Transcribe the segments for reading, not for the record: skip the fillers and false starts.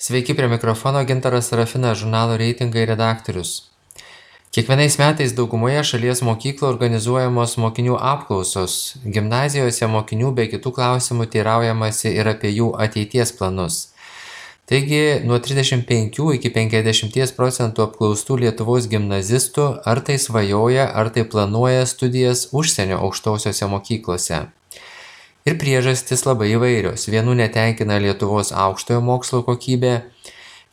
Sveiki, prie mikrofono Gintaras Sarafinas, žurnalo reitingai redaktorius. Kiekvienais metais daugumoje šalies mokyklų organizuojamos mokinių apklausos. Gimnazijose mokinių bei kitų klausimų teiraujamasi ir apie jų ateities planus. Taigi, nuo 35 iki 50% apklaustų Lietuvos gimnazistų ar tai svajoja, ar tai planuoja studijas užsienio aukštosiose mokyklose. Ir priežastys labai įvairios. Vienų netenkina Lietuvos aukštojo mokslo kokybė,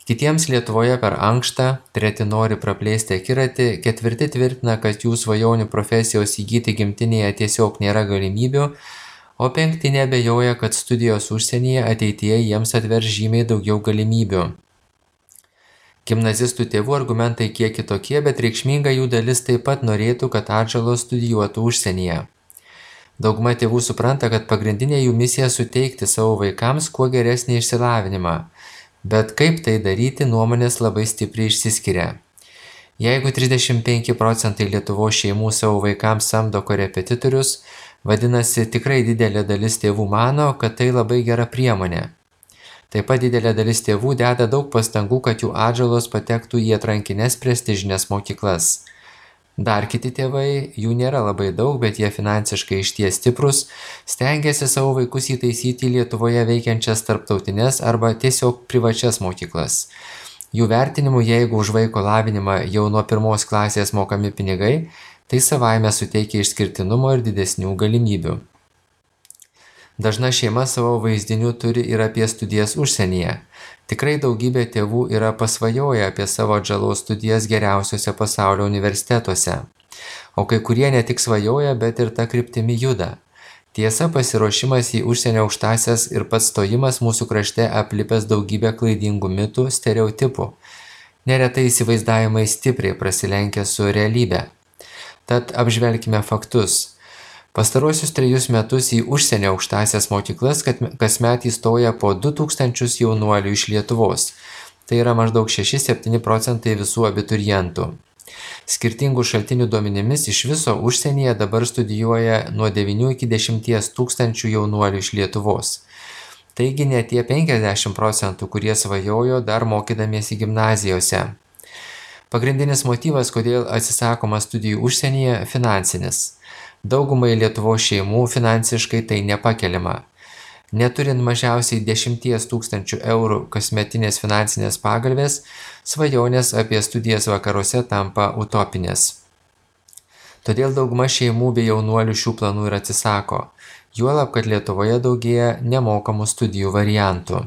kitiems Lietuvoje per ankšta, treti nori praplėsti akiratį, ketvirti tvirtina, kad jų svajonių profesijos įgyti gimtinėje tiesiog nėra galimybių, o penkti neabejoja, kad studijos užsienyje ateityje jiems atvers žymiai daugiau galimybių. Gimnazistų tėvų argumentai kiek kitokie, bet reikšminga jų dalis taip pat norėtų, kad atžalos studijuotų užsienyje. Dauguma tėvų supranta, kad pagrindinė jų misija suteikti savo vaikams kuo geresnį išsilavinimą, bet kaip tai daryti, nuomonės labai stipriai išsiskiria. Jeigu 35% Lietuvos šeimų savo vaikams samdo korepetitorius, vadinasi, tikrai didelė dalis tėvų mano, kad tai labai gera priemonė. Taip pat didelė dalis tėvų deda daug pastangų, kad jų atžalos patektų į atrankines prestižines mokyklas. Dar kiti tėvai, jų nėra labai daug, bet jie finansiškai išties stiprus, stengiasi savo vaikus įtaisyti į Lietuvoje veikiančias tarptautines arba tiesiog privačias mokyklas. Jų vertinimu, jeigu už vaiko lavinimą jau nuo 1 klasės mokami pinigai, tai savaime suteikia išskirtinumo ir didesnių galimybių. Dažna šeima savo vaizdinių turi ir apie studijas užsienyje. Tikrai daugybė tėvų yra pasvajoję apie savo atžalos studijas geriausiuose pasaulio universitetuose. O kai kurie ne tik svajoja, bet ir ta kryptimi juda. Tiesa, pasiruošimas į užsienio aukštąsias ir pats stojimas mūsų krašte aplipęs daugybę klaidingų mitų, stereotipų. Neretai įsivaizdavimai stipriai prasilenkia su realybe. Tad apžvelkime faktus. Pastaruosius 3 metus į užsienio aukštąsias mokyklas kasmet įstoja po 2000 jaunuolių iš Lietuvos. Tai yra maždaug 6–7% visų abiturientų. Skirtingų šaltinių duomenimis iš viso užsienyje dabar studijuoja nuo 9 iki 10 tūkstančių jaunuolių iš Lietuvos. Taigi ne tie 50%, kurie svajojo dar mokydamiesi gimnazijose. Pagrindinis motyvas, kodėl atsisakoma studijų užsienyje, finansinis. Daugumai Lietuvos šeimų finansiškai tai nepakeliama. Neturint mažiausiai 10 000 eurų kasmetinės finansinės pagalvės, svajonės apie studijas vakaruose tampa utopinės. Todėl dauguma šeimų bei jaunuolių šių planų ir atsisako. Juolab, kad Lietuvoje daugėja nemokamų studijų variantų.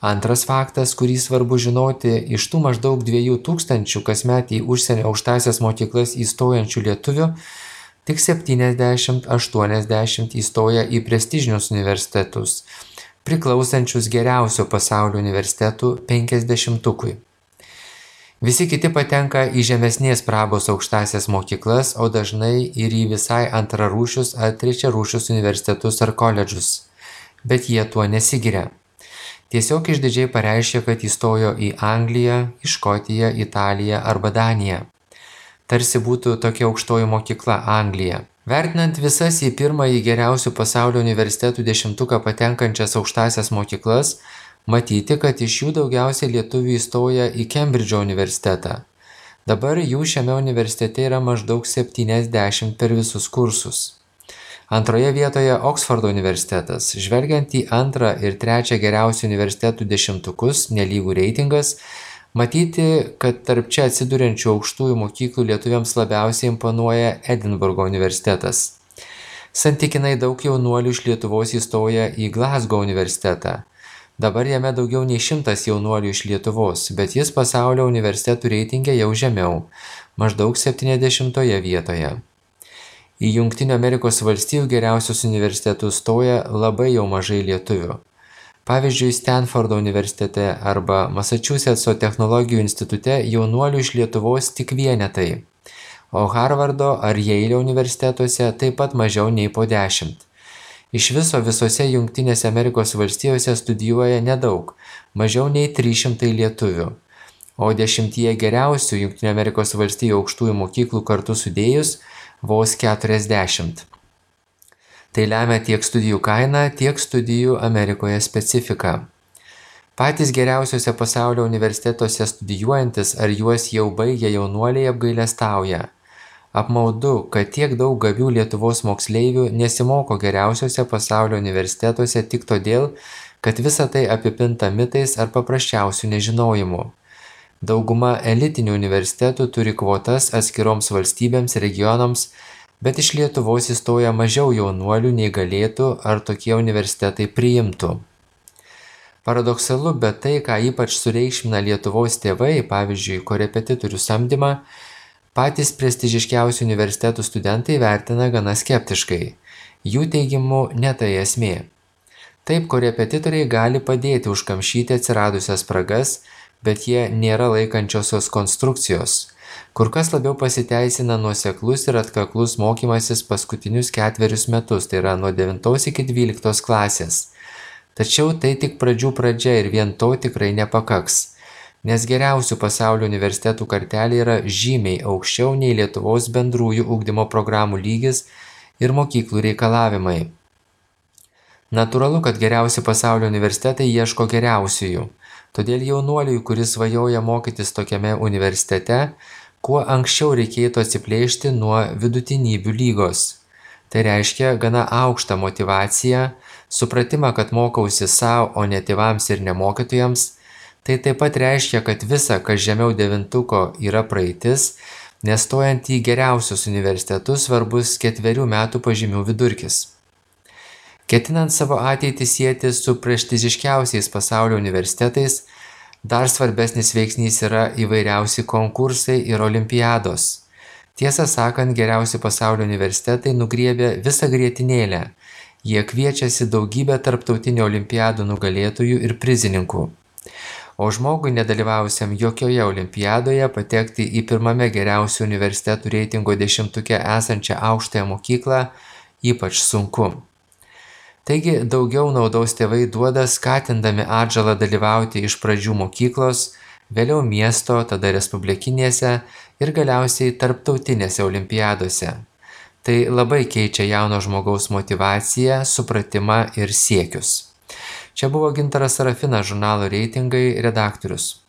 Antras faktas, kurį svarbu žinoti, iš tų maždaug 2000 kasmet į užsienio aukštąsias mokyklas įstojančių lietuvių, tik 70–80 įstoja į prestižinius universitetus, priklausančius geriausio pasaulio universitetų 50-ukui. Visi kiti patenka į žemesnės prabos aukštąsias mokyklas, o dažnai ir į visai antrarūšius ar trečiarūšius universitetus ar koledžus. Bet jie tuo nesigiria. Tiesiog išdidžiai pareiškia, kad įstojo į Angliją, į Škotiją, Italiją arba Daniją. Tarsi būtų tokia aukštoji mokykla Anglija. Vertinant visas į pirmąjį geriausių pasaulio universitetų 10-uką patenkančias aukštąsias mokyklas, matyti, kad iš jų daugiausiai lietuvių įstoja į Kembridžo universitetą. Dabar jų šiame universitete yra maždaug 70 per visus kursus. Antroje vietoje Oksfordo universitetas. Žvelgiant į 2 ir 3 geriausių universitetų 10-ukus, nelygų reitingas, matyti, kad tarp čia atsiduriančių aukštųjų mokyklų lietuviams labiausiai imponuoja Edinburgo universitetas. Santykinai daug jaunuolių iš Lietuvos įstoja į Glasgow universitetą. Dabar jame daugiau nei 100 jaunuolių iš Lietuvos, bet jis pasaulio universitetų reitinge jau žemiau, maždaug 70 vietoje. Į Jungtinių Amerikos valstijų geriausius universitetus stoja labai jau mažai lietuvių. Pavyzdžiui, Stanfordo universitete arba Masačusetso technologijų institute jaunuolių iš Lietuvos tik vienetai, o Harvardo ar Jeilio universitetuose taip pat mažiau nei po 10. Iš viso visose Jungtinėse Amerikos valstijose studijuoja nedaug, mažiau nei 300 lietuvių, o 10 geriausių Jungtinių Amerikos valstijų aukštųjų mokyklų kartu sudėjus vos 40. Tai lemia tiek studijų kaina, tiek studijų Amerikoje specifika. Patys geriausiuose pasaulio universitetuose studijuojantis ar juos jau baigę jaunuoliai apgailestauja. Apmaudu, kad tiek daug gabių Lietuvos moksleivių nesimoko geriausiuose pasaulio universitetuose tik todėl, kad visa tai apipinta mitais ar paprasčiausių nežinojimu. Dauguma elitinių universitetų turi kvotas atskiroms valstybėms, regionams, bet iš Lietuvos įstoja mažiau jaunuolių nei galėtų ar tokie universitetai priimtų. Paradoksalu, bet tai, ką ypač sureikšmina Lietuvos tėvai, pavyzdžiui, korepetitorių samdymą, patys prestižiškiausių universitetų studentai vertina gana skeptiškai. Jų teigimu ne tai esmė. Taip, korepetitoriai gali padėti užkamšyti atsiradusias spragas, bet jie nėra laikančiosios konstrukcijos. Kur kas labiau pasiteisina nuoseklus ir atkaklus mokymasis paskutinius 4 metus, tai yra nuo 9 iki 12 klasės. Tačiau tai tik pradžių pradžia ir vien to tikrai nepakaks, nes geriausių pasaulio universitetų kartelė yra žymiai aukščiau nei Lietuvos bendrųjų ugdymo programų lygis ir mokyklų reikalavimai. Natūralu, kad geriausi pasaulio universitetai ieško geriausiųjų, todėl jaunuoliui, kuris svajoja mokytis tokiame universitete, kuo anksčiau reikėtų atsiplėšti nuo vidutinybių lygos. Tai reiškia gana aukštą motyvaciją, supratimą, kad mokausi savo, o ne tėvams ir ne mokytojams. Tai taip pat reiškia, kad visa, kas žemiau 9 yra praeitis, nes stojant į geriausius universitetus svarbus 4 metų pažymių vidurkis. Ketinant savo ateitį sieti su prestižiškiausiais pasaulio universitetais, dar svarbesnis veiksnys yra įvairiausi konkursai ir olimpiados. Tiesą sakant, geriausi pasaulio universitetai nugriebia visą grietinėlę. Jie kviečiasi daugybę tarptautinių olimpiadų nugalėtojų ir prizininkų. O žmogui nedalyvavusiam jokioje olimpiadoje patekti į pirmame geriausių universitetų reitingo 10-uke esančią aukštąją mokyklą ypač sunku. Taigi daugiau naudos tėvai duoda skatindami atžalą dalyvauti iš pradžių mokyklos, vėliau miesto, tada respublikinėse ir galiausiai tarptautinėse olimpiadose. Tai labai keičia jauno žmogaus motyvaciją, supratimą ir siekius. Čia buvo Gintaras Sarafinas, žurnalo Reitingai redaktorius.